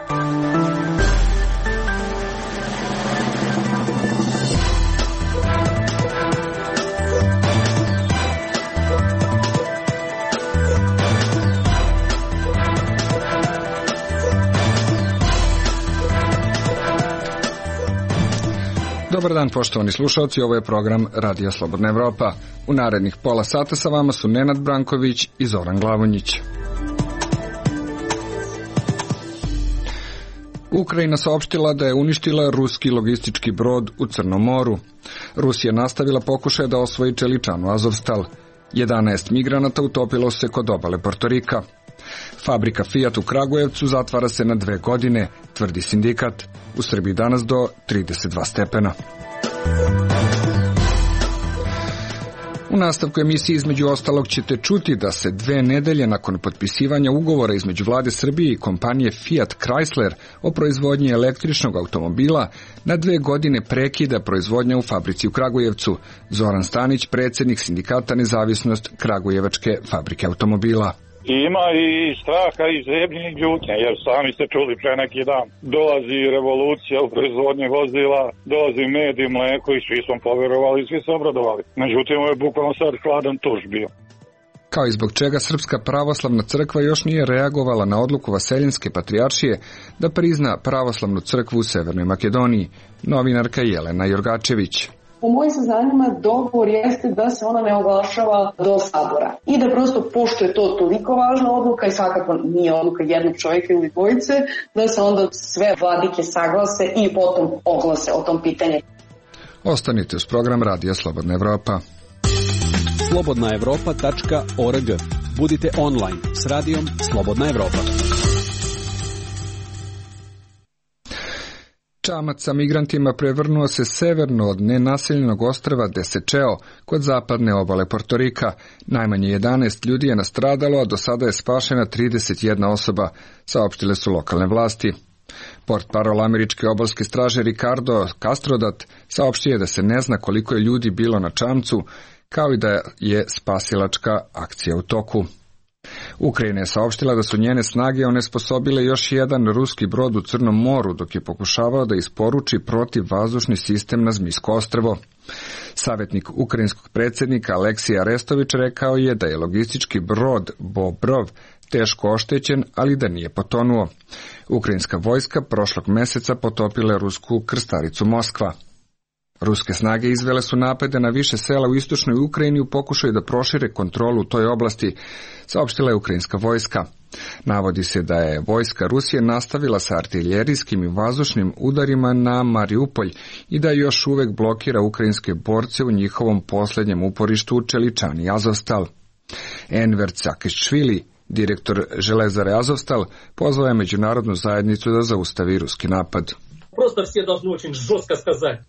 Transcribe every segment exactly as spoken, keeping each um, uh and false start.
Dobar dan, poštovani slušalci, ovo je program Radija Slobodna Evropa. U narednih pola sata sa vama su Nenad Branković i Zoran Glavonjić. Ukrajina saopštila da je uništila ruski logistički brod u Crnom moru. Rusija nastavila pokušaje da osvoji čeličanu Azovstal. jedanaest migranata utopilo se kod obale Portorika. Fabrika Fiat u Kragujevcu zatvara se na dve godine, tvrdi sindikat. U Srbiji danas do trideset dva stepena. U nastavku emisije između ostalog ćete čuti da se dve nedelje nakon potpisivanja ugovora između vlade Srbije i kompanije Fiat Chrysler o proizvodnji električnog automobila na dve godine prekida proizvodnja u fabrici u Kragujevcu. Zoran Stanić, predsjednik sindikata Nezavisnost Kragujevačke fabrike automobila. I ima i straha i zebnjenih ljutnja, jer sami ste čuli pre neki dan. Dolazi revolucija u proizvodnji vozila, dolazi med i mleko i svi smo poverovali i svi se obradovali. Međutim, ovo je bukvalno sad hladan tuš bio. Kao i zbog čega Srpska pravoslavna crkva još nije reagovala na odluku Vaseljenske patrijaršije da prizna pravoslavnu crkvu u Severnoj Makedoniji, novinarka Jelena Jorgačević. Po mojim saznanjima dogovor jeste da se ona ne oglašava do sabora i da prosto, pošto je to toliko važna odluka i svakako nije odluka jednog čovjeka ili dvojice, da se onda sve vladike saglase i potom oglase o tom pitanju. Ostanite uz program Radija Slobodna Evropa. slobodna evropa tačka org. Budite online s radijom Slobodna Evropa. Čamac sa migrantima prevrnuo se severno od nenaseljenog ostrva Desečeo kod zapadne obale Portorika. Najmanje jedanaest ljudi je nastradalo, a do sada je spašena trideset jedna osoba, saopštile su lokalne vlasti. Portparol američke obalske straže Ricardo Castrodat saopštio je da se ne zna koliko je ljudi bilo na čamcu, kao i da je spasilačka akcija u toku. Ukrajina je saopštila da su njene snage onesposobile još jedan ruski brod u Crnom moru dok je pokušavao da isporuči protivvazdušni sistem na Zmijsko ostrvo. Savjetnik ukrajinskog predsjednika Aleksij Arestović rekao je da je logistički brod Bobrov teško oštećen, ali da nije potonuo. Ukrajinska vojska prošlog meseca potopila rusku krstaricu Moskva. Ruske snage izvele su napade na više sela u istočnoj Ukrajini u pokušaju da prošire kontrolu u toj oblasti, saopštila je ukrajinska vojska. Navodi se da je vojska Rusije nastavila sa artiljerijskim i vazdušnim udarima na Mariupolj i da još uvek blokira ukrajinske borce u njihovom posljednjem uporištu u čeličani Azovstal. Enver Cakešvili, direktor železare Azovstal, pozvao je međunarodnu zajednicu da zaustavi ruski napad.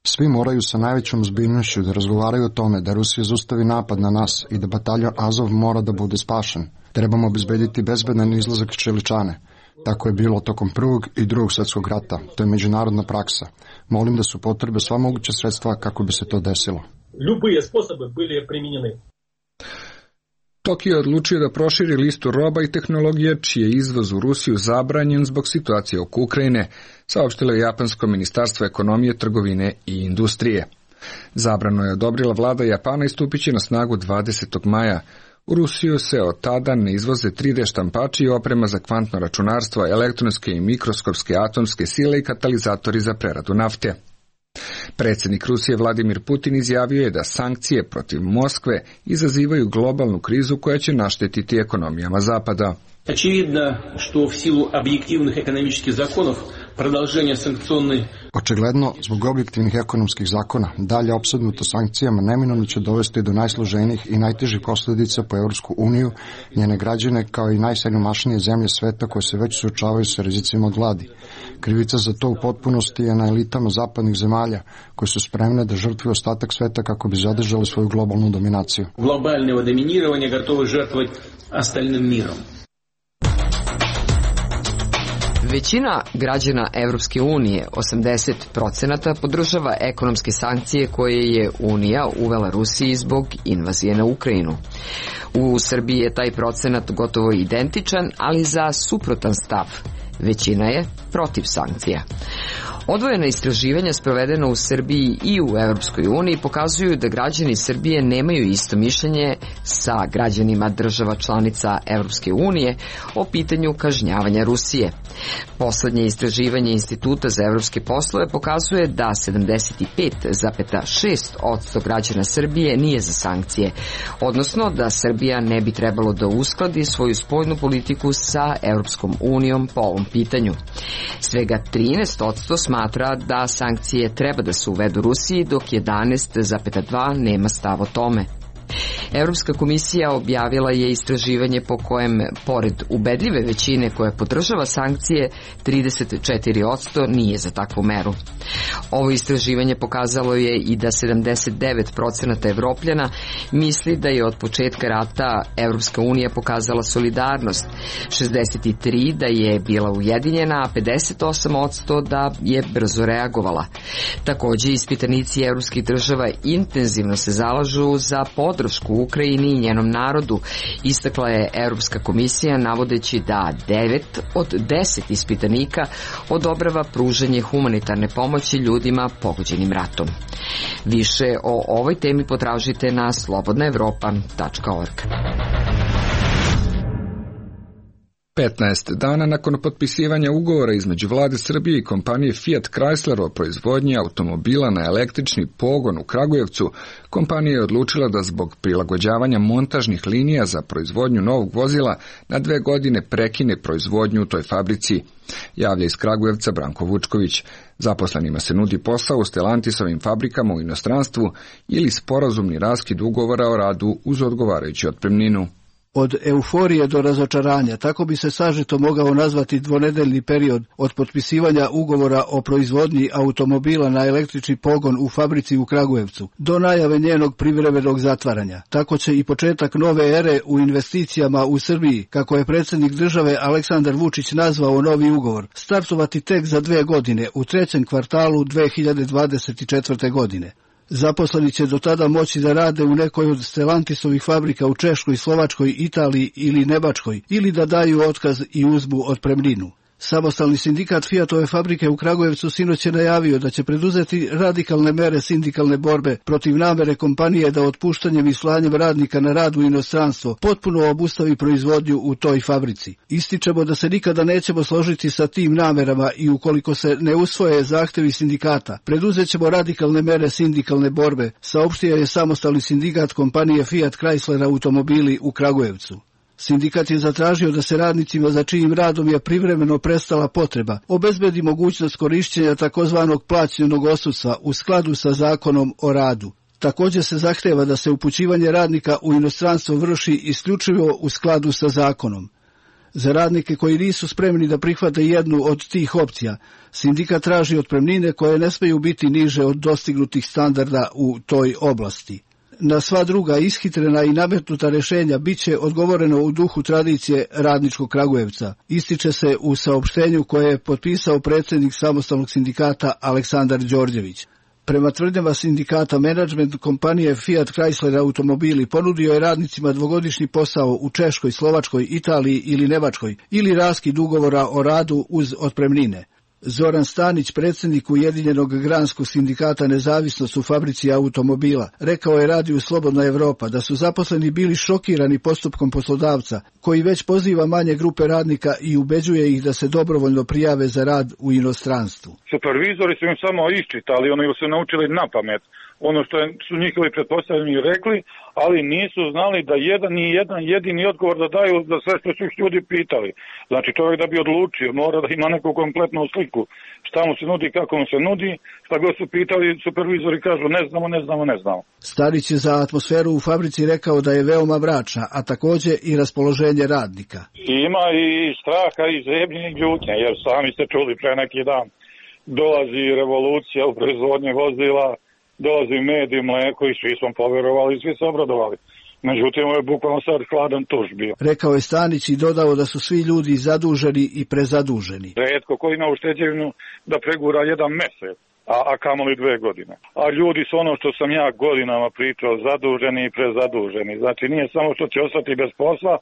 Svi moraju sa najvećom ozbiljnošću da razgovaraju o tome da Rusija zaustavi napad na nas i da bataljon Azov mora da bude spašen. Trebamo obezbediti bezbedan izlazak iz čeličane. Tako je bilo tokom prvog i drugog svjetskog rata. To je međunarodna praksa. Molim da su potrebe sva moguća sredstva kako bi se to desilo. Любые способы были применены. Tokio je odlučio da proširi listu roba i tehnologija čiji je izvoz u Rusiju zabranjen zbog situacije oko Ukrajine, saopštilo je Japansko ministarstvo ekonomije, trgovine i industrije. Zabranu je odobrila vlada Japana i stupit će na snagu dvadesetog maja. U Rusiju se od tada ne izvoze tri D štampači i oprema za kvantno računarstvo, elektronske i mikroskopske atomske sile i katalizatori za preradu nafte. Predsjednik Rusije Vladimir Putin izjavio je da sankcije protiv Moskve izazivaju globalnu krizu koja će naštetiti ekonomijama Zapada. Очевидно, что в силу объективных экономических законов продолжение санкционной... Očigledno, zbog objektivnih ekonomskih zakona, dalje opsednuto sankcijama neminovno će dovesti do najsloženijih i najtežih posljedica po Evropsku uniju, njene građane kao i najsiromašnije zemlje sveta koje se već suočavaju sa rizicima od gladi. Krivica za to u potpunosti je na elitama zapadnih zemalja koje su spremne da žrtvuju ostatak sveta kako bi zadržali svoju globalnu dominaciju. Globalnog dominiranja готовы žrtvovati остальным миром. Većina građana Evropske unije, osamdeset procenata, podržava ekonomske sankcije koje je Unija uvela Rusiji zbog invazije na Ukrajinu. U Srbiji je taj procenat gotovo identičan, ali za suprotan stav. Većina je protiv sankcija. Odvojena istraživanja sprovedena u Srbiji i u Evropskoj uniji pokazuju da građani Srbije nemaju isto mišljenje sa građanima država članica Evropske unije o pitanju kažnjavanja Rusije. Poslednje istraživanje Instituta za evropske poslove pokazuje da sedamdeset pet zarez šest posto građana Srbije nije za sankcije, odnosno da Srbija ne bi trebalo da uskladi svoju spoljnu politiku sa Evropskom unijom po ovom pitanju. Svega trinaest posto smatra da sankcije treba da se uvedu Rusiji, dok jedanaest zarez dva nema stav o tome. Evropska komisija objavila je istraživanje po kojem, pored ubedljive većine koja podržava sankcije, trideset četiri posto nije za takvu meru. Ovo istraživanje pokazalo je i da sedamdeset devet posto Evropljana misli da je od početka rata Evropska unija pokazala solidarnost, šezdeset tri da je bila ujedinjena, a pedeset osam posto da je brzo reagovala. Takođe, ispitanici evropskih država intenzivno se zalažu za podršku Ukrajini i njenom narodu, istakla je Evropska komisija navodeći da devet od deset ispitanika odobrava pružanje humanitarne pomoći ljudima pogođenim ratom. Više o ovoj temi potražite na slobodna evropa tačka org. petnaest dana nakon potpisivanja ugovora između vlade Srbije i kompanije Fiat Chrysler o proizvodnji automobila na električni pogon u Kragujevcu, kompanija je odlučila da zbog prilagođavanja montažnih linija za proizvodnju novog vozila na dve godine prekine proizvodnju u toj fabrici. Javlja iz Kragujevca Branko Vučković. Zaposlenima se nudi posao u Stellantisovim fabrikama u inostranstvu ili sporazumni raskid ugovora o radu uz odgovarajuću otpremninu. Od euforije do razočaranja, tako bi se sažeto mogao nazvati dvonedeljni period od potpisivanja ugovora o proizvodnji automobila na električni pogon u fabrici u Kragujevcu, do najave njenog privremenog zatvaranja. Tako će i početak nove ere u investicijama u Srbiji, kako je predsjednik države Aleksandar Vučić nazvao novi ugovor, startovati tek za dve godine, u trećem kvartalu dve hiljade dvadeset četvrte. godine. Zaposleni će do tada moći da rade u nekoj od Stellantisovih fabrika u Češkoj, Slovačkoj, Italiji ili Nemačkoj, ili da daju otkaz i uzmu otpremninu. Samostalni sindikat Fiatove fabrike u Kragujevcu sinoć je najavio da će preduzeti radikalne mere sindikalne borbe protiv namere kompanije da otpuštanjem i slanjem radnika na rad u inostranstvo potpuno obustavi proizvodnju u toj fabrici. Ističemo da se nikada nećemo složiti sa tim namerama i ukoliko se ne usvoje zahtevi sindikata, preduzet ćemo radikalne mere sindikalne borbe, saopštio je samostalni sindikat kompanije Fiat Chrysler automobili u Kragujevcu. Sindikat je zatražio da se radnicima za čijim radom je privremeno prestala potreba obezbedi mogućnost korišćenja takozvanog plaćenog odsustva u skladu sa zakonom o radu. Također se zahteva da se upućivanje radnika u inostranstvo vrši isključivo u skladu sa zakonom. Za radnike koji nisu spremni da prihvate jednu od tih opcija, sindikat traži otpremnine koje ne smeju biti niže od dostignutih standarda u toj oblasti. Na sva druga ishitrena i nametnuta rješenja bit će odgovoreno u duhu tradicije radničkog Kragujevca, ističe se u saopštenju koje je potpisao predsjednik samostalnog sindikata Aleksandar Đorđević. Prema tvrdnjama sindikata, menadžment kompanije Fiat Chrysler automobili ponudio je radnicima dvogodišnji posao u Češkoj, Slovačkoj, Italiji ili Nemačkoj ili raskid ugovora o radu uz otpremnine. Zoran Stanić, predsjednik Ujedinjenog granskog sindikata Nezavisnost u fabrici automobila, rekao je radiju Slobodna Evropa da su zaposleni bili šokirani postupkom poslodavca, koji već poziva manje grupe radnika i ubeđuje ih da se dobrovoljno prijave za rad u inostranstvu. Supervizori su im samo iščitali, oni su naučili na pamet ono što su njihovi pretpostavljeni rekli, ali nisu znali da jedan i jedan jedini odgovor da daju za sve što su ih ljudi pitali. Znači čovjek da bi odlučio mora da ima neku kompletnu sliku šta mu se nudi, kako mu se nudi, šta god su pitali, supervizori kažu ne znamo, ne znamo, ne znamo. Starić je za atmosferu u fabrici rekao da je veoma mračna, a također i raspoloženje radnika. Ima i straha i zebnje i ljutnje, jer sami ste čuli pre neki dan. Dolazi revolucija u proizvodnji vozila, dolazi med i mleko i svi smo poverovali i svi se obradovali. Međutim, ovo je bukvalno sad hladan tuš bio. Rekao je Stanić i dodao da su svi ljudi zaduženi i prezaduženi. Retko koji ima ušteđevinu da pregura jedan mesec, a, a kamoli dve godine. A ljudi su ono što sam ja godinama pričao, zaduženi i prezaduženi. Znači nije samo što će ostati bez posla,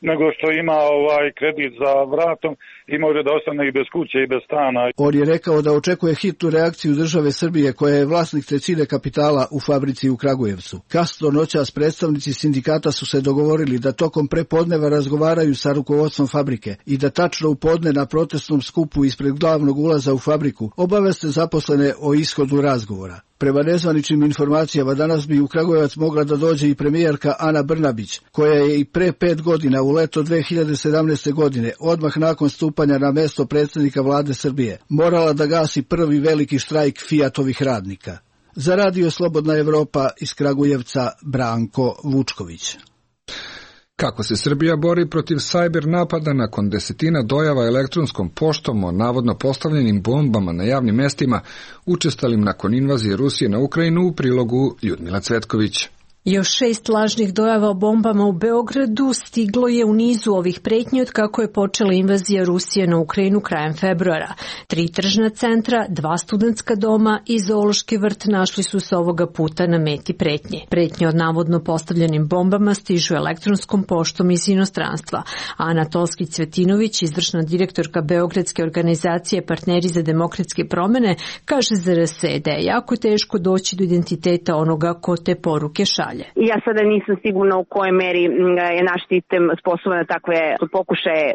nego što ima ovaj kredit za vratom i može da ostane i bez kuće i bez stana. On je rekao da očekuje hitnu reakciju države Srbije koja je vlasnik trećine kapitala u fabrici u Kragujevcu. Kasno noćas predstavnici sindikata su se dogovorili da tokom prepodneva razgovaraju sa rukovodstvom fabrike i da tačno u podne na protestnom skupu ispred glavnog ulaza u fabriku obaveste zaposlene o ishodu razgovora. Prema nezvaničnim informacijama danas bi u Kragujevac mogla da dođe i premijerka Ana Brnabić, koja je i pre pet godina u leto dve hiljade sedamnaeste. godine, odmah nakon stupanja na mesto predsjednika vlade Srbije, morala da gasi prvi veliki štrajk Fiatovih radnika. Za Radio Slobodna Evropa iz Kragujevca Branko Vučković. Kako se Srbija bori protiv sajber napada nakon desetina dojava elektronskom poštom o navodno postavljenim bombama na javnim mestima, učestalim nakon invazije Rusije na Ukrajinu, u prilogu Ljudmila Cvetković. Još šest lažnih dojava o bombama u Beogradu stiglo je u nizu ovih pretnji od kako je počela invazija Rusije na Ukrajinu krajem februara. Tri tržna centra, dva studentska doma i zoološki vrt našli su se ovoga puta na meti pretnje. Pretnje od navodno postavljenim bombama stižu elektronskom poštom iz inostranstva. Ana Tolskić-Cvetinović, izvršna direktorka Beogradske organizacije Partneri za demokratske promene, kaže za R S da je jako teško doći do identiteta onoga ko te poruke šalje. Ja sada nisam sigurna u kojoj meri je naš sistem sposoban da takve pokušaje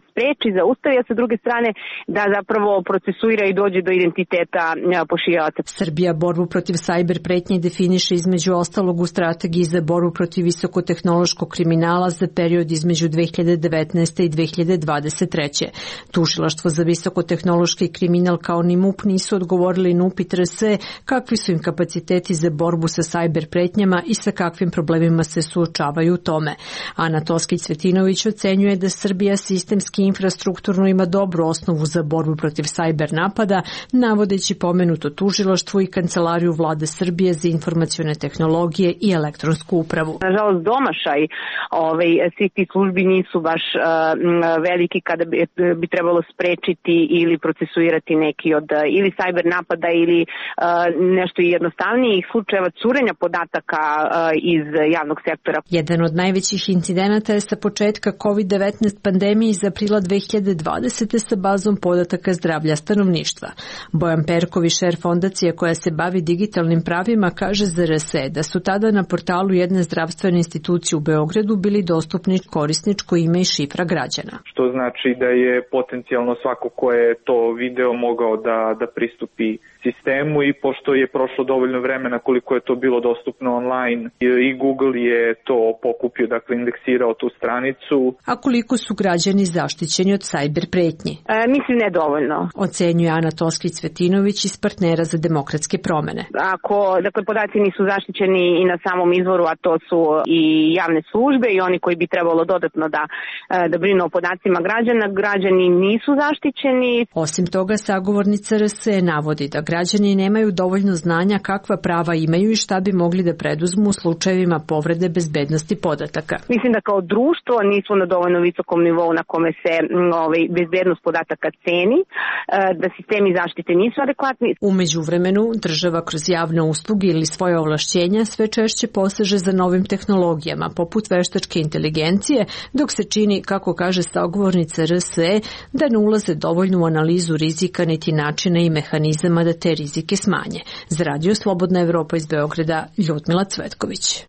spreči, zaustavi, a sa druge strane da zapravo procesuira i dođe do identiteta pošiljalaca. Srbija borbu protiv sajber pretnje definiše između ostalog u strategiji za borbu protiv visokotehnološkog kriminala za period između dve hiljade devetnaeste. i dve hiljade dvadeset treće. Tužilaštvo za visokotehnološki kriminal kao ni M U P nisu odgovorili na upit R S kakvi su im kapaciteti za borbu sa sajber pretnjama i sa kakvim problemima se suočavaju u tome. Ana Toskić-Cvetinović ocenjuje da Srbija sistemski infrastrukturno ima dobru osnovu za borbu protiv sajber napada, navodeći pomenuto tužilaštvo i Kancelariju vlade Srbije za informacione tehnologije i elektronsku upravu. Nažalost, domašaj ovaj, svih tih službi nisu baš uh, veliki kada bi, bi trebalo sprečiti ili procesuirati neki od uh, ili sajber napada ili uh, nešto jednostavnijih slučajeva curenja podataka iz javnog sektora. Jedan od najvećih incidenata je sa početka kovid devetnaest pandemije iz aprila dve hiljade dvadesete. sa bazom podataka zdravlja stanovništva. Bojan Perković, šer fondacije koja se bavi digitalnim pravima, kaže za R S da su tada na portalu jedne zdravstvene institucije u Beogradu bili dostupni korisničko ime i šifra građana. Što znači da je potencijalno svako ko je to video mogao da, da pristupi sistemu i pošto je prošlo dovoljno vremena koliko je to bilo dostupno online i Google je to pokupio, dakle indeksirao tu stranicu. A koliko su građani zaštićeni od sajber pretnji? E, mislim ne dovoljno. Ocenjuje Ana Toskić-Cvetinović iz Partnera za demokratske promene. Ako dakle, podaci nisu zaštićeni i na samom izvoru, a to su i javne službe i oni koji bi trebalo dodatno da, da brinu o podacima građana, građani nisu zaštićeni. Osim toga, sagovornica R S navodi da građani nemaju dovoljno znanja kakva prava imaju i šta bi mogli da preduzmu u slučajevima povrede bezbednosti podataka. Mislim da kao društvo nismo na dovoljno visokom nivou na kome se ovaj, bezbednost podataka ceni, da sistemi zaštite nisu adekvatni. U međuvremenu, država kroz javne usluge ili svoje ovlašćenja sve češće poseže za novim tehnologijama, poput veštačke inteligencije, dok se čini, kako kaže sagovornica R S da ne ulaze dovoljno u analizu rizika niti načina i mehanizama da te rizike smanje. Za Radio Slobodna Evropa iz Beograda, Ljudmila Cvetković.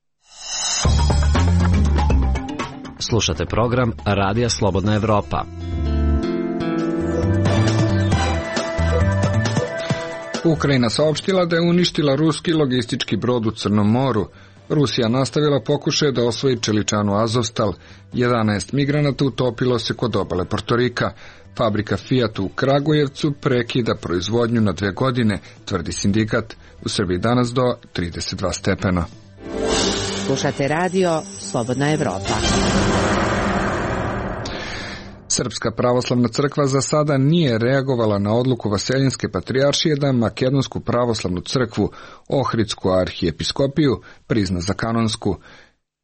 Slušate program Radija Slobodna Evropa. Ukrajina saopštila da je uništila ruski logistički brod u Crnom moru. Rusija nastavila pokušaje da osvoji čeličanu Azovstal. jedanaest migranata utopilo se kod obale Portorika. Fabrika Fiat u Kragujevcu prekida proizvodnju na dve godine, tvrdi sindikat. U Srbiji danas do trideset dva stepena. Slušate radio Slobodna Evropa. Srpska pravoslavna crkva za sada nije reagovala na odluku Vaseljenske patrijaršije da Makedonsku pravoslavnu crkvu, Ohridsku arhijepiskopiju, prizna za kanonsku.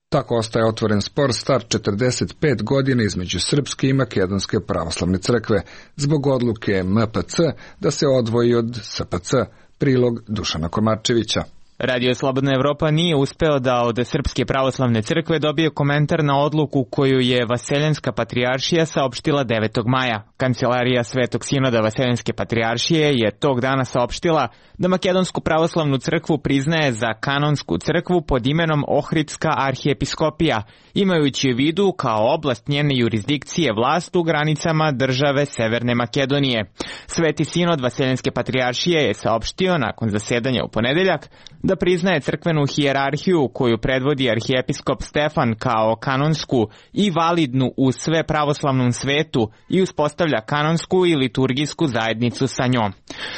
Tako ostaje otvoren spor star četrdeset pet godina između Srpske i Makedonske pravoslavne crkve, zbog odluke M P C da se odvoji od S P C, Prilog Dušana Komarčevića. Radio Slobodna Evropa nije uspeo da od Srpske pravoslavne crkve dobije komentar na odluku koju je Vaseljenska patrijaršija saopštila devetog maja. Kancelarija Svetog sinoda Vaseljenske patrijaršije je tog dana saopštila da Makedonsku pravoslavnu crkvu priznaje za kanonsku crkvu pod imenom Ohridska arhijepiskopija, imajući u vidu kao oblast njene jurisdikcije vlast u granicama države Severne Makedonije. Sveti sinod Vaseljenske patrijaršije je saopštio nakon zasedanja u ponedeljak da priznaje crkvenu hijerarhiju koju predvodi arhijepiskop Stefan kao kanonsku i validnu u sve pravoslavnom svetu i uspostavlja kanonsku i liturgijsku zajednicu sa njom.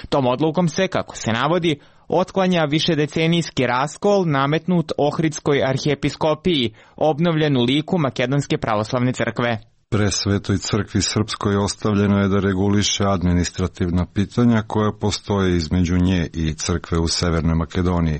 Tom odlukom se, kako se navodi, otklanja višedecenijski raskol nametnut Ohridskoj arhijepiskopiji, obnovljen u liku Makedonske pravoslavne crkve. Presvetoj crkvi srpskoj ostavljeno je da reguliše administrativna pitanja koja postoje između nje i crkve u Severnoj Makedoniji,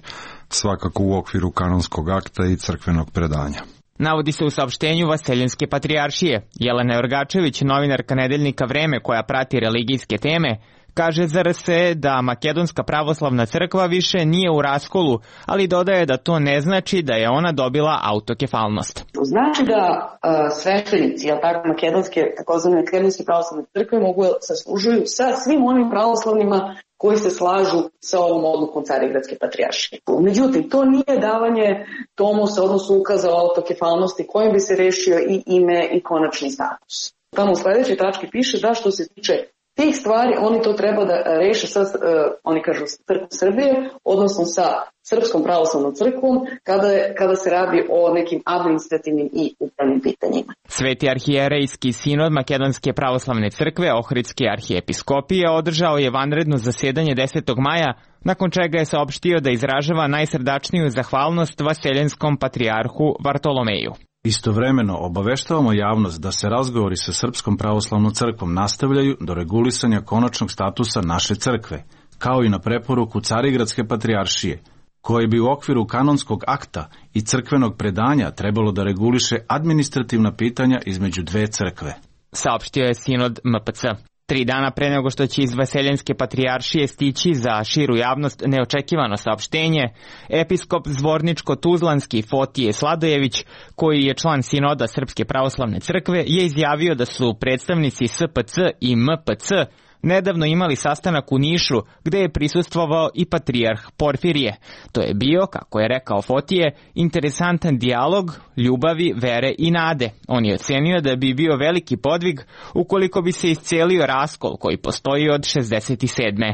svakako u okviru kanonskog akta i crkvenog predanja. Navodi se u saopštenju Vaseljenske patrijaršije. Jelena Jorgačević, novinarka nedeljnika Vreme koja prati religijske teme, kaže za R S E da Makedonska pravoslavna crkva više nije u raskolu, ali dodaje da to ne znači da je ona dobila autokefalnost. Znači da uh, sveštenici, jel tako, makedonske, takozvane makedonske pravoslavne crkve mogu saslužuju sa svim onim pravoslavnima koji se slažu sa ovom odlukom Carigradske patrijaršije. Međutim, to nije davanje tomusa, odnosno ukaza o autokefalnosti kojim bi se rešio i ime i konačni status. Tamo u sledećoj tački piše da što se tiče tih stvari, oni to treba da reše sa, uh, oni kažu, crkvom Srbije, odnosno sa Srpskom pravoslavnom crkvom, kada, kada se radi o nekim administrativnim i upravnim pitanjima. Sveti arhijerejski sinod Makedonske pravoslavne crkve, Ohridske arhijepiskopije, održao je vanredno zasedanje desetog maja, nakon čega je saopštio da izražava najsrdačniju zahvalnost Vaseljenskom patrijarhu Vartolomeju. Istovremeno obaveštavamo javnost da se razgovori sa Srpskom pravoslavnom crkvom nastavljaju do regulisanja konačnog statusa naše crkve, kao i na preporuku Carigradske patrijaršije, koje bi u okviru kanonskog akta i crkvenog predanja trebalo da reguliše administrativna pitanja između dve crkve. Saopštio je sinod M P C. Tri dana pre nego što će iz Vaseljenske patrijaršije stići za širu javnost neočekivano saopštenje, episkop Zvorničko-Tuzlanski Fotije Sladojević, koji je član sinoda Srpske pravoslavne crkve, je izjavio da su predstavnici S P C i M P C nedavno imali sastanak u Nišu gde je prisustvovao i patrijarh Porfirije. To je bio, kako je rekao Fotije, interesantan dijalog ljubavi, vere i nade. On je ocenio da bi bio veliki podvig ukoliko bi se iscelio raskol koji postoji od šezdeset sedme.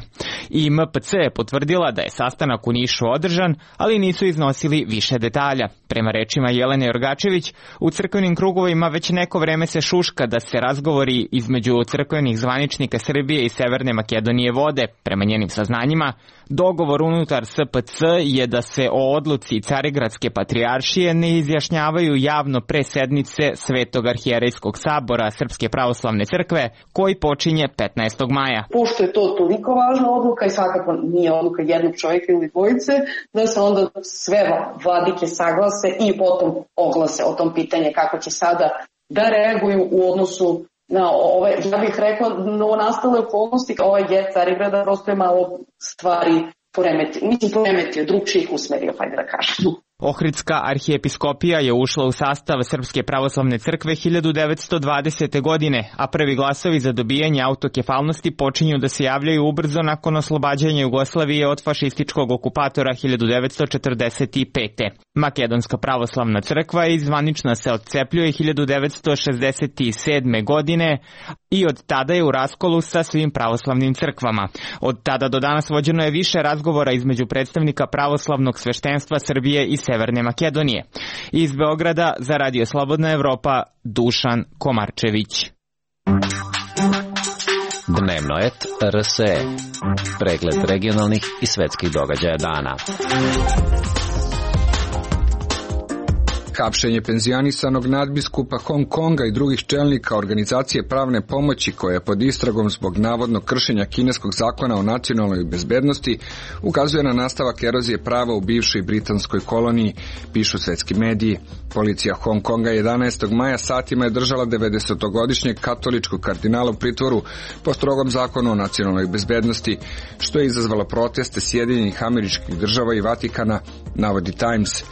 I M P C je potvrdila da je sastanak u Nišu održan, ali nisu iznosili više detalja. Prema rečima Jelene Jorgačević, u crkvenim krugovima već neko vreme se šuška da se razgovori između crkvenih zvaničnika Srbije i Severne Makedonije vode. Prema njenim saznanjima, dogovor unutar S P C je da se o odluci Carigradske patrijaršije ne izjašnjavaju javno pre sednice Svetog arhijerejskog sabora Srpske pravoslavne crkve, koji počinje petnaestog maja. Pošto je to toliko važna odluka i svakako nije odluka jednog čovjeka ili dvojice, da se onda sve vladike saglase i potom oglase o tom pitanje kako će sada da reaguju u odnosu na ove, ja bih rekla, novonastale okolnosti, ovaj get Carigrada prosto je malo stvari poremetio, mislim poremetio, drugčijih usmerio, hajde da kažem. Ohridska arhijepiskopija je ušla u sastav Srpske pravoslavne crkve hiljadu devetsto dvadesete. godine, a prvi glasovi za dobijanje autokefalnosti počinju da se javljaju ubrzo nakon oslobađanja Jugoslavije od fašističkog okupatora hiljadu devetsto četrdeset pete. Makedonska pravoslavna crkva izvanično se odcepljuje hiljadu devetsto šezdeset sedme. godine i od tada je u raskolu sa svim pravoslavnim crkvama. Od tada do danas vođeno je više razgovora između predstavnika pravoslavnog sveštenstva Srbije i Severne Makedonije. Iz Beograda za Radio Slobodna Evropa, Dušan Komarčević. Dnevno et R S E. Pregled regionalnih i svetskih događaja dana. Hapšenje penzionisanog nadbiskupa Hong Konga i drugih čelnika organizacije pravne pomoći koja je pod istragom zbog navodnog kršenja kineskog zakona o nacionalnoj bezbednosti ukazuje na nastavak erozije prava u bivšoj britanskoj koloniji, pišu svetski mediji. Policija Hong Konga jedanaestog maja satima je držala devedesetogodišnjeg katoličkog kardinala u pritvoru po strogom zakonu o nacionalnoj bezbednosti, što je izazvalo proteste Sjedinjenih Američkih Država i Vatikana, navodi Times.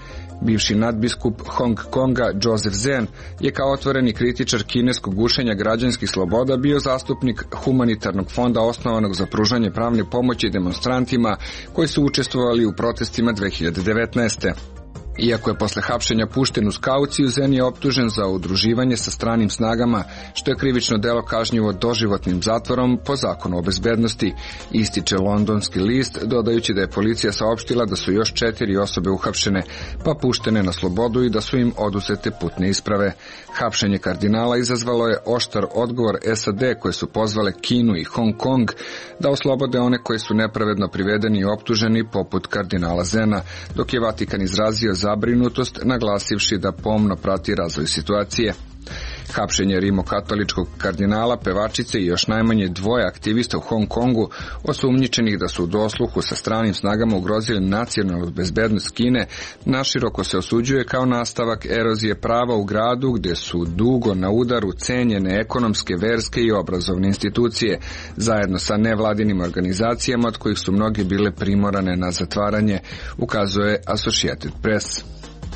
Bivši nadbiskup Hong Konga Joseph Zen je kao otvoreni kritičar kineskog gušenja građanskih sloboda bio zastupnik humanitarnog fonda osnovanog za pružanje pravne pomoći demonstrantima koji su učestvovali u protestima dve hiljade devetnaeste. Iako je posle hapšenja pušten uz kauciju, Zen je optužen za udruživanje sa stranim snagama, što je krivično delo kažnjivo doživotnim zatvorom po zakonu o bezbednosti, ističe londonski list, dodajući da je policija saopštila da su još četiri osobe uhapšene, pa puštene na slobodu i da su im oduzete putne isprave. Hapšenje kardinala izazvalo je oštar odgovor S A D koje su pozvale Kinu i Hong Kong da oslobode one koji su nepravedno privedeni i optuženi poput kardinala Zena, dok je Vatikan izrazio zabrinutost naglasivši da pomno prati razvoj situacije. Hapšenje rimokatoličkog kardinala, pevačice i još najmanje dvoje aktivista u Hong Kongu, osumnjičenih da su u dosluhu sa stranim snagama ugrozili nacionalnu bezbednost Kine, naširoko se osuđuje kao nastavak erozije prava u gradu gdje su dugo na udaru cenjene ekonomske, verske i obrazovne institucije, zajedno sa nevladinim organizacijama od kojih su mnoge bile primorane na zatvaranje, ukazuje Associated Press.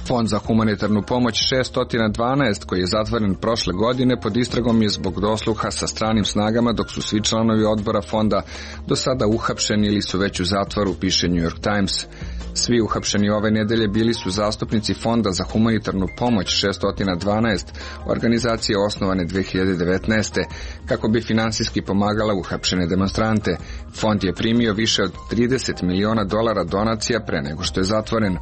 Fond za humanitarnu pomoć šesto dvanaest, koji je zatvoren prošle godine, pod istragom je zbog dosluha sa stranim snagama, dok su svi članovi odbora fonda do sada uhapšeni ili su već u zatvoru, piše New York Times. Svi uhapšeni ove nedelje bili su zastupnici Fonda za humanitarnu pomoć šesto dvanaest, organizacije osnovane dve hiljade devetnaeste, kako bi finansijski pomagala uhapšene demonstrante. Fond je primio više od trideset miliona dolara donacija pre nego što je zatvoren.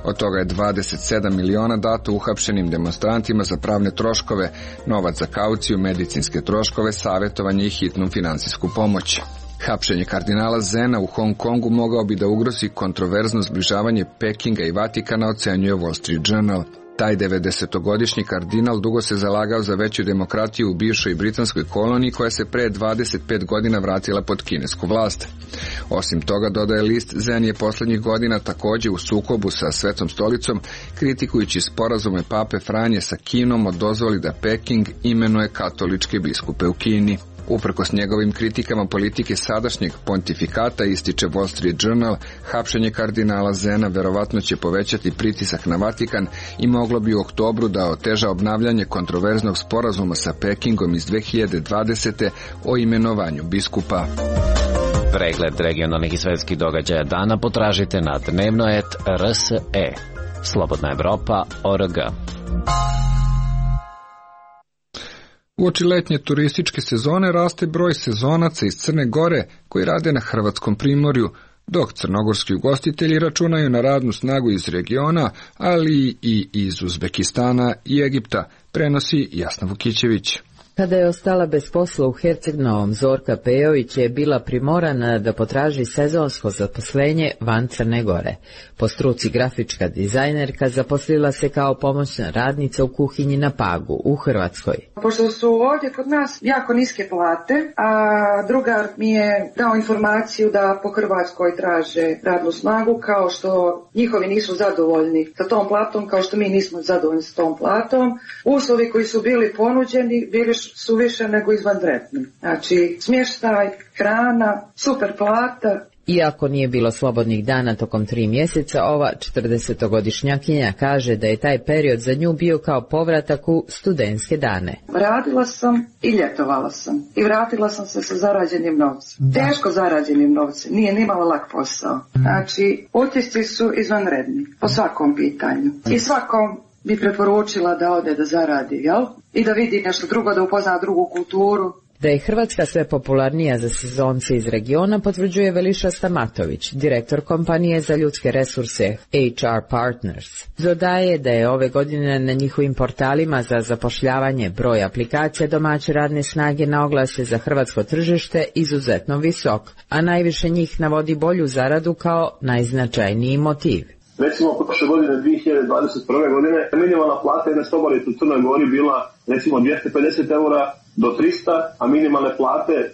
Od toga je dvadeset sedam miliona dato uhapšenim demonstrantima za pravne troškove, novac za kauciju, medicinske troškove, savjetovanje i hitnu finansijsku pomoć. Hapšenje kardinala Zena u Hong Kongu mogao bi da ugrozi kontroverzno zbližavanje Pekinga i Vatikana, ocenjuje Wall Street Journal. Taj devedesetogodišnji kardinal dugo se zalagao za veću demokratiju u bivšoj britanskoj koloniji koja se pre dvadeset pet godina vratila pod kinesku vlast. Osim toga, dodaje list, Zen je poslednjih godina takođe u sukobu sa Svetom stolicom, kritikujući sporazume pape Franje sa Kinom o dozvoli da Peking imenuje katoličke biskupe u Kini. Uprkos njegovim kritikama politike sadašnjeg pontifikata, ističe Wall Street Journal, hapšenje kardinala Zena verovatno će povećati pritisak na Vatikan i moglo bi u oktobru da oteža obnavljanje kontroverznog sporazuma sa Pekingom iz dve hiljade dvadesete o imenovanju biskupa. Pregled regionalnih i svetskih događaja dana potražite na dnevnoet R S E. Slobodna Evropa org. Uoči letnje turističke sezone raste broj sezonaca iz Crne Gore koji rade na hrvatskom primorju, dok crnogorski ugostitelji računaju na radnu snagu iz regiona, ali i iz Uzbekistana i Egipta, prenosi Jasna Vukićević. Kada je ostala bez posla u Herceg Novom, Zorka Pejović je bila primorana da potraži sezonsko zaposlenje van Crne Gore. Po struci grafička dizajnerka zaposlila se kao pomoćna radnica u kuhinji na Pagu, u Hrvatskoj. Pošto su ovdje kod nas jako niske plate, a drugar mi je dao informaciju da po Hrvatskoj traže radnu snagu, kao što njihovi nisu zadovoljni sa tom platom, kao što mi nismo zadovoljni sa tom platom. Uslovi koji su bili ponuđeni bili su više nego izvanredni. Znači, smještaj, hrana, super plata. Iako nije bilo slobodnih dana tokom tri mjeseca, ova četrdesetogodišnjakinja kaže da je taj period za nju bio kao povratak u studentske dane. Radila sam i ljetovala sam. I vratila sam se sa zarađenim novcem. Teško zarađenim novcem. Nije nimalo lak posao. Znači, utisci su izvanredni po svakom pitanju. I svakom bi preporučila da ode da zaradi, jel? I da vidi nešto drugo, da upozna drugu kulturu. Da je Hrvatska sve popularnija za sezonce iz regiona potvrđuje Veliša Stamatović, direktor kompanije za ljudske resurse H R Partners. Dodaje da je ove godine na njihovim portalima za zapošljavanje broj aplikacija domaće radne snage na oglase za hrvatsko tržište izuzetno visok, a najviše njih navodi bolju zaradu kao najznačajniji motiv. Recimo, prošle godine, dvije hiljade dvadeset prve. godine, minimalna plata jedne sobarice u Crnoj Gori bila recimo dvjesto pedeset eura do trista, a minimalne plate e,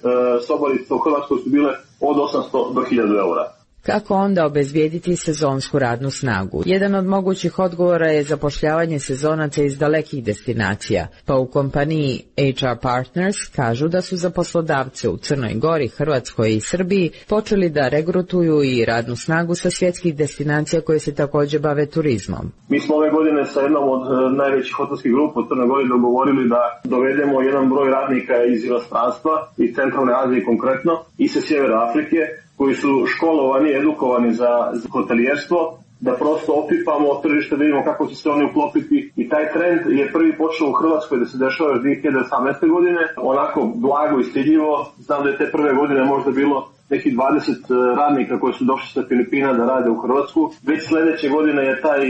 sobarice u Hrvatskoj su bile od osamsto do hiljadu eura. Kako onda obezbijediti sezonsku radnu snagu? Jedan od mogućih odgovora je zapošljavanje sezonaca iz dalekih destinacija, pa u kompaniji H R Partners kažu da su za poslodavce u Crnoj Gori, Hrvatskoj i Srbiji počeli da regrutuju i radnu snagu sa svjetskih destinacija koje se također bave turizmom. Mi smo ove godine sa jednom od najvećih hotelskih grupa u Crnoj Gori dogovorili da dovedemo jedan broj radnika iz inostranstva, iz Centralne Azije konkretno, i sa Sjevera Afrike, koji su školovani, edukovani za hotelijerstvo, da prosto opipamo tržište, da vidimo kako će se oni uklopiti. I taj trend je prvi počeo u Hrvatskoj da se dešava još dvije hiljade osamnaeste. godine, onako blago i stidljivo. Znam da je te prve godine možda bilo nekih dvadeset radnika koji su došli sa Filipina da rade u Hrvatsku. Već sljedeće godine je taj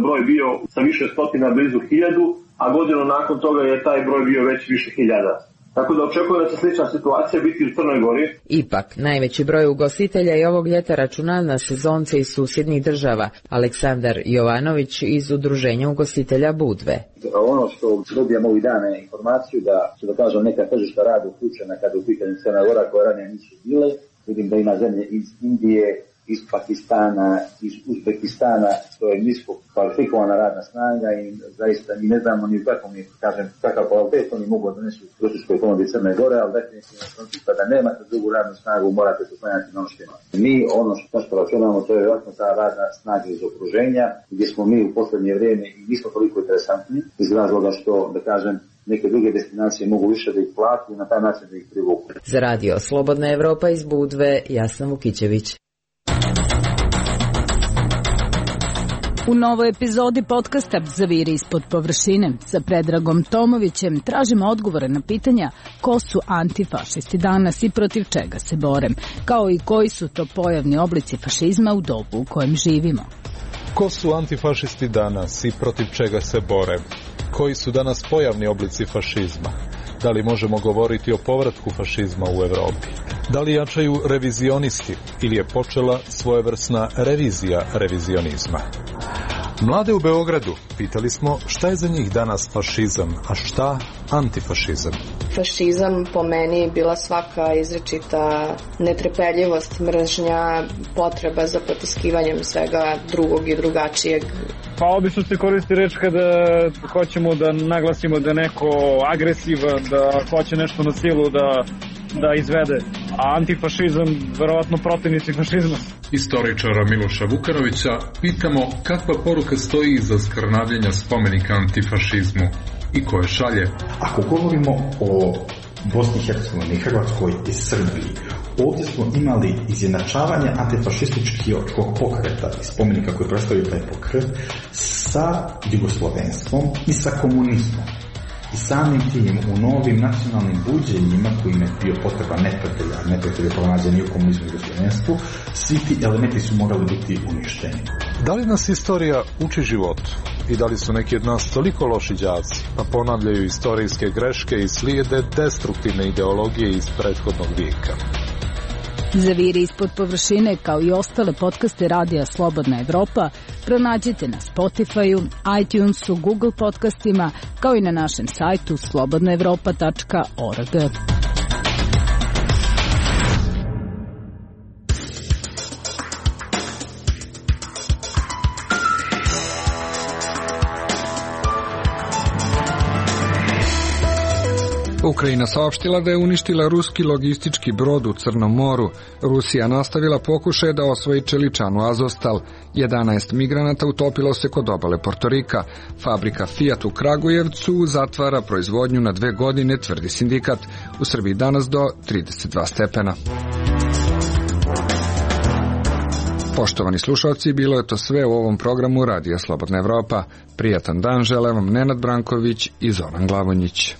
broj bio sa više stotina, blizu hiljadu, a godinu nakon toga je taj broj bio već više hiljada. Tako da očekujem da će slična situacija biti u Crnoj Gori. Ipak, najveći broj ugostitelja i ovog ljeta računa na sezonce iz susjednih država. Aleksandar Jovanović iz Udruženja ugostitelja Budve. Ono što dobijamo ovih dana je informaciju da su, da kažem, neka tržišta rada uključena kada u pitanju Crna Gora koje ranije nisu bile. Vidim da ima zemlje iz Indije, iz Pakistana, iz Uzbekistana, to je nisko kvalifikovana radna snaga i zaista mi ne znamo ni kako mi, kažem, kakav kvalitet oni mogu donesu u turističkoj ponudi Crne Gore, ali definitivno kada nemate drugu radnu snagu morate se slanjati na ono što ima. Mi ono što, što računamo to je vjerojatno ta radna snaga iz okruženja gdje smo mi u posljednje vrijeme i nismo toliko interesantni iz razloga što, da kažem, neke druge destinacije mogu više da ih plati i na taj način da ih privuku. Za radio Slobodna Evropa iz Budve, Jasna Vukićević. U novoj epizodi podcasta Zaviri ispod površine sa Predragom Tomovićem tražimo odgovore na pitanja ko su antifašisti danas i protiv čega se bore, kao i koji su to pojavni oblici fašizma u dobu u kojem živimo. Ko su antifašisti danas i protiv čega se bore? Koji su danas pojavni oblici fašizma? Da li možemo govoriti o povratku fašizma u Evropi? Da li jačaju revizionisti ili je počela svojevrsna revizija revizionizma? Mlade u Beogradu pitali smo šta je za njih danas fašizam, a šta antifašizam. Fašizam po meni bila svaka izrečita netrpeljivost, mržnja, potreba za potiskivanjem svega drugog i drugačijeg. Pa obično se koristi reč kada hoćemo da naglasimo da je neko agresivan, da hoće nešto na silu da, da izvede. A antifašizam, verovatno protivnici fašizma. Istoričara Miloša Vukanovića pitamo kakva poruka stoji iza skrnavljenja spomenika antifašizmu i koje šalje. Ako govorimo o Bosni i Hercegovini, Hrvatskoj i Srbiji, ovdje smo imali izjednačavanje antifašističkog pokreta i spomenika koji predstavljaju taj pokret sa jugoslovenstvom i sa komunizmom. I samim tim u novim nacionalnim buđenjima kojim je bio potreba neprijatelja, neprijatelja pronađeni u komunizmu i jugoslovenstvu, svi ti elementi su morali biti uništeni. Da li nas istorija uči životu? I da li su neki od nas toliko loši đaci, pa ponavljaju istorijske greške i slijede destruktivne ideologije iz prethodnog vijeka? Zaviri ispod površine, kao i ostale podcaste radija Slobodna Evropa, pronađite na Spotify-u, iTunesu, Google podcastima, kao i na našem sajtu slobodna evropa tačka org. Ukrajina saopštila da je uništila ruski logistički brod u Crnom moru. Rusija nastavila pokušaje da osvoji čeličanu Azovstal. jedanaest migranata utopilo se kod obale Portorika. Fabrika Fiat u Kragujevcu zatvara proizvodnju na dve godine, tvrdi sindikat. U Srbiji danas do trideset dva stepena. Poštovani slušalci, bilo je to sve u ovom programu Radija Slobodna Evropa. Prijatan dan žele vam Nenad Branković i Zoran Glavonjić.